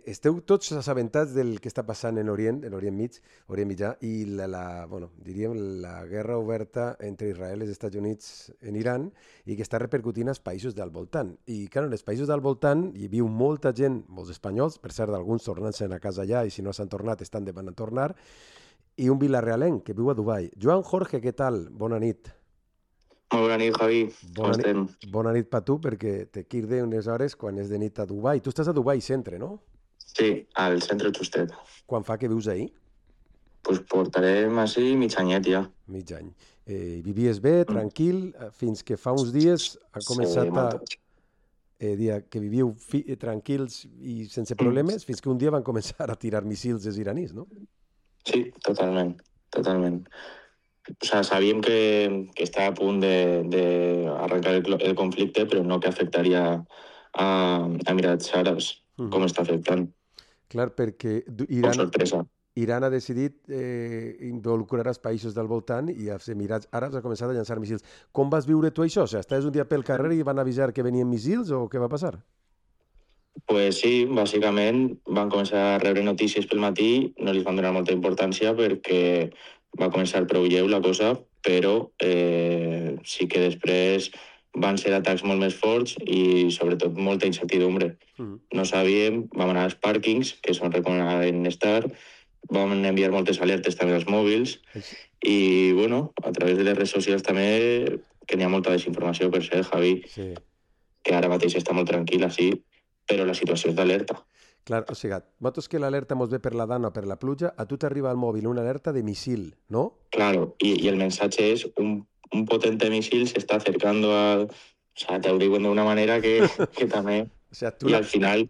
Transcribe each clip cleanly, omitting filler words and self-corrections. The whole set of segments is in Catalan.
esteu tots assabentats del que està passant en Orient Mitjà, i diríem la guerra oberta entre Israel i els Estats Units en Iran, i que està repercutint als països del voltant. I, clar, en els països del voltant hi viu molta gent, molts espanyols, per cert, alguns tornant-se'n a casa allà, i si no s'han tornat, estan demant a tornar, i un vilarealenc que viu a Dubai. Joan Jorge, què tal? Bona nit. Molt bona nit, Javi. Com Bona nit, estem? bona nit per tu, perquè te quirde unes hores quan és de nit a Dubai. Tu estàs a Dubai centre, no? Sí, al centre justet. Quan fa que vius ahir? Pues portarem així mig anyet ja. Mig any. Vivies bé, tranquil, fins que fa uns dies ha Sí, començat a molt. dir que viviu tranquils i sense problemes, fins que un dia van començar a tirar missils els iranis, no? Sí, totalment, totalment. O sea, sabíem que està a punt d'arrencar el conflicte, però no que afectaria a Emirats Àrabs, com està afectant. Clar, perquè Com sorpresa. Iran ha decidit involucrar els països del voltant, i els Emirats Àrabs ha començat a llançar missils. Com vas viure tu això? O sigui, estaves un dia pel carrer i van avisar que venien missils, o què va passar? Pues sí, bàsicament van començar a rebre notícies pel matí, no li van donar molta importància perquè va començar prou lleu la cosa, però sí que després van ser atacs molt més forts i sobretot molta incertidumbre. No sabíem, vam anar als pàrquings, que és on recomanaven estar, vam enviar moltes alertes també als mòbils i, bueno, a través de les redes socials també, que n'hi ha molta desinformació, per cert, Javi, Sí. que ara mateix està molt tranquil·la, sí, però la situació és d'alerta. Clar, o sigui, nosaltres que l'alerta mos ve per la dana o per la pluja, a tu t'arriba al mòbil una alerta de missil, ¿no? Claro, y el mensaje es un potente misil se está acercando a... O sea, te ho diuen d'una manera que també... O sigui, tu I al final,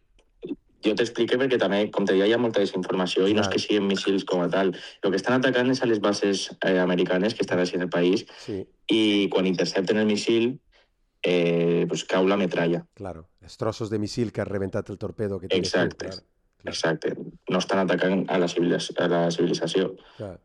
jo t'expliqué perquè també, com te deia, hi ha molta desinformació i no és que siguin missils com a tal. El que estan atacant és a les bases americanes que estan així en el país Sí, i quan intercepten el missil, pues cau la metralla. claro. Els trossos de missil que ha rebentat el torpedo que tenies tu. Exacte, Clar, clar, exacte. No estan atacant a la civilització. clar.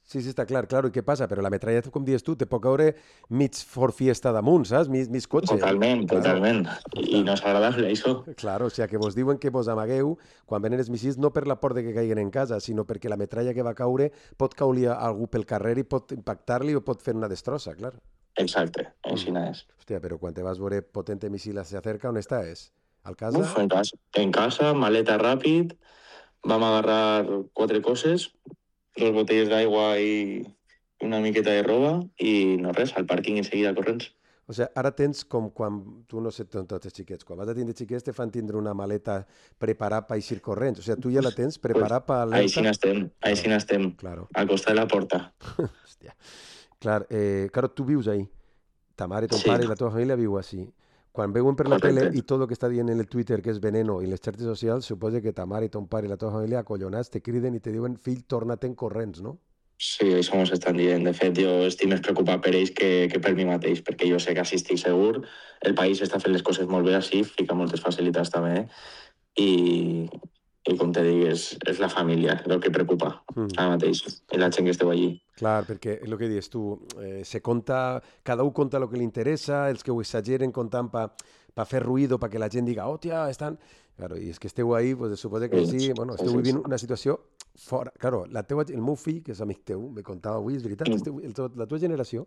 Sí, sí, està clar, claro. I què passa? Però la metralla, com dius tu, te pot caure mig Ford Fiesta damunt, saps? Mig cotxe. Totalment, Claro. totalment. I no és agradable, això. Claro, o sigui, que vos diuen que vos amagueu quan venen els missils no per la por de que caiguen en casa, sinó perquè la metralla que va caure pot caure a algú pel carrer i pot impactar-li o pot fer una destrossa, clar. Exacte, així és. Hòstia, però quan te vas veure potente misil se acerca, on estàs? Al casa? Uf, en casa, maleta ràpid, vam agarrar 4 coses, 2 botelles d'aigua i una miqueta de roba i no res, al pàrquing enseguida corrents. O sigui, ara tens com quan, tu no sé, tots els xiquets, quan vas a tindre xiquets te fan tindre una maleta preparada per eixir corrents. O sigui, tu ja la tens preparada per alerta. Així n'estem, Claro. al costat de la porta. Hòstia. Clar, claro, tu vius ahí. Ta mare, ton Sí. pare i la teva família viu així. Quan veuen per la Correcte. tele i tot el que està dient en el Twitter que és veneno i les xarxes socials, suposa que ta mare i ton pare i la teva família acollonats te criden i te diuen fill, torna-te'n corrents, no? Sí, això mos estan dient. De fet, jo estic més preocupat per ells que per mi mateix, perquè jo sé que així estic segur, el país està fent les coses molt bé així, fica moltes facilitats també, i com te dic, és la família el que preocupa ara mateix, i la gent que esteu allí. Clar, perquè el que dius tu, se conta, cada un conta el que li interessa, els que ho exageren contant per fer ruïdo, perquè la gent diga, hòstia, estan... Claro, i és que esteu ahí, pues, suposa que sí, bueno, esteu vivint una situació fora. Claro, el meu fill, que és amic teu, me contava avui, és veritat, la teva generació,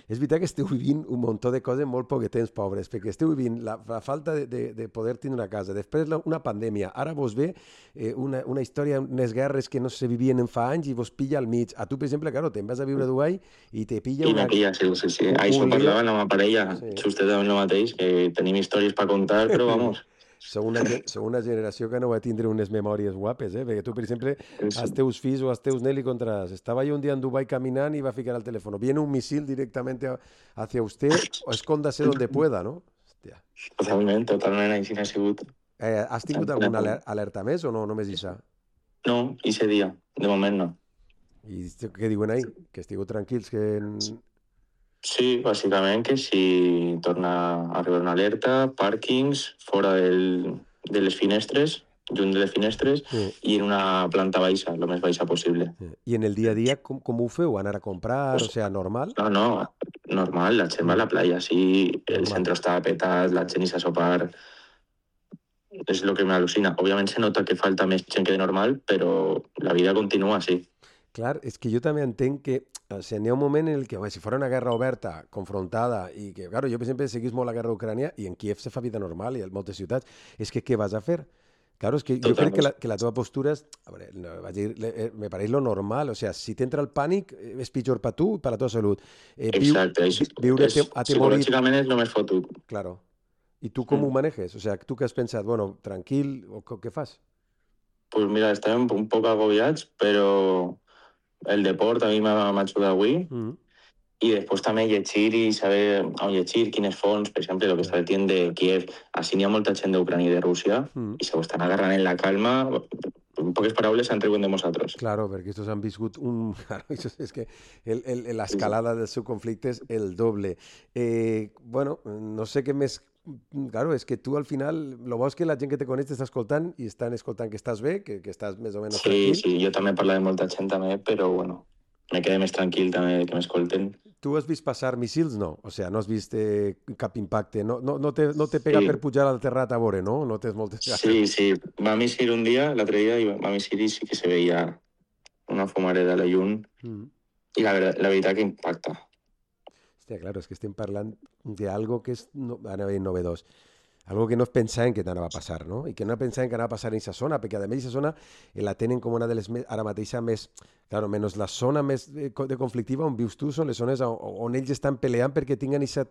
és veritat que esteu vivint un muntó de coses molt poquetens, pobres, perquè esteu vivint la falta de poder tindre una casa, després una pandèmia, ara vos ve una història, unes guerres que no se vivien en fa anys i vos pilla al mig. A tu, per exemple, claro, te'n vas a viure a Dubai i te pilla I una... me pilla, sí. Això parlava amb la meva parella, just també el mateix, que tenim històries per contar, però vamos... Sou una generació que no va tindre unes memòries guapes, perquè tu, per exemple, als teus fills o als teus nens li contaràs, estava jo un dia en Dubai caminant i va ficar al teléfono, viene un misil directamente hacia usted, o escóndase donde pueda, ¿no? Hòstia. Totalment, així n'ha sigut. Has tingut alguna alerta més o no, només això? No, ese dia, de moment no. I què diuen ahí? Que estigueu tranquils, que... Sí, bàsicament que si torna a arribar una alerta, pàrquings, fora de les finestres, junt de les finestres, i en una planta baixa, el més baixa possible. I en el dia a dia, com ho feu? Anar a comprar? O sigui, normal? No, normal, la gent va a la playa, sí, el centre està petat, la gent hi s'ha sopar... és el que m'al·lucina. Òbviament se nota que falta més gent que de normal, però la vida continua, sí. Clar, és que jo també entenc que o sigui, n'hi ha un moment en el que, home, si fos una guerra oberta, confrontada, i que, claro, jo, per exemple, seguís molt la guerra d'Ucrània i en Kiev se fa vida normal i en moltes ciutats, és que què vas a fer? Claro, es que yo creo Totalment. que la teva postura és, a veure, no, vaig dir, me pareix lo normal, o sea, si t'entra el pànic, és pitjor per tu i per la teva salut. Exacte, Viure atemorit, psicològicament és el més fotut. claro. I tu com ho Mm. manejes? O sea, tu què has pensat? Bueno, tranquil, o què fas? Pues mira, estem un poc agobiats, però el deport a mi m'ha ajudat avui. Mm, I després també llegir i saber on llegir, quines fonts, per exemple, el que ja. està dient de Kiev. Així n'hi ha molta gent d'Ucrània i de Rússia Mm. i se ho estan agarrant en la calma. En poques paraules, se'n riuen de nosaltres. Claro, perquè estos han viscut un... Claro, eso es que la Sí, sí. escalada del seu conflicte és el doble. Bueno, no sé què més... Claro, és que tu al final, lo bo és que la gent que te coneix t'està escoltant i estan escoltant que estàs bé, que estàs més o menys Sí, tranquil. sí, jo també parlo de molta gent també, però bueno, me quedé més tranquil també que m'escolten. Tu has vist passar missils? No. O sea, no has vist cap impacte. No te pega per Sí, pujar al terrat a veure, no? No tens moltes sí, ganes. sí. Va missir un dia, l'altre dia, i va missir i sí que se veia una fumareda a la llum Mm. i la veritat que impacta. Hòstia, claro, és que estem parlant d'algo que és anava a dir novedós. Algo que no es pensaven que t'anava a passar, no? I que no pensaven que anava a passar en aquesta zona, perquè a més aquesta zona la tenen com una de les més, ara mateixa més, claro, menys la zona més de conflictiva on vius tu, són les zones on ells estan peleant perquè tinguen aquesta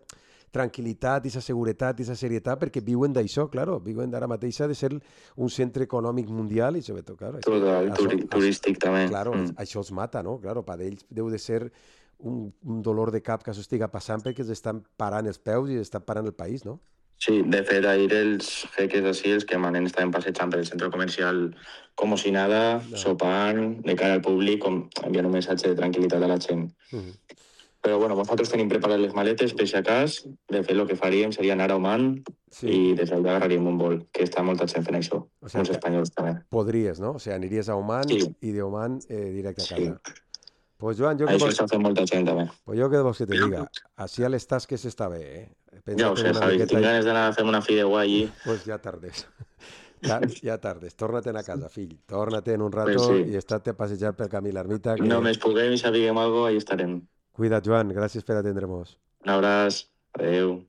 tranquil·litat, aquesta seguretat, aquesta serietat, perquè viuen d'això, claro, viuen ara mateixa de ser un centre econòmic mundial i sobretot, claro, és que Total, turístic també. claro, Mm. això els mata, no? Claro, per ells deu de ser un dolor de cap que això estiga passant perquè els estan parant els peus i estan parant el país, no? Sí, de fet, ahir els jeques així, els que manen, estaven passejant per el centre comercial com si nada, No. sopant, de cara al públic, enviant un missatge de tranquil·litat a la gent. Mhm. Però bueno, nosaltres tenim preparades les maletes per si acas. De fet, el que faríem seria anar a Oman Sí, i des d'allà agarraríem un vol, que està molta gent fent això, o sea, uns espanyols també. podries, no? O sea, aniries a Oman Sí, i de Oman directe a sí. casa. Pues Joan, Això està fent molta gent també. Pues jo què vols que te diga? Així a les tasques està bé, eh? Ja ho Pensa-te sé, una Javi, si miqueta tinc i... ganes d'anar a fer una fideuà allí, Pues ja tardes. Ja tardes. Torna-te'n a casa, fill. Torna-te'n un pues rato sí. i estat a passejar pel camí l'ermita, No que... més puguem i sapiguem alguna cosa, allà estarem. Cuida't, Joan. Gràcies per atendre-nos. Un abraç, adeu.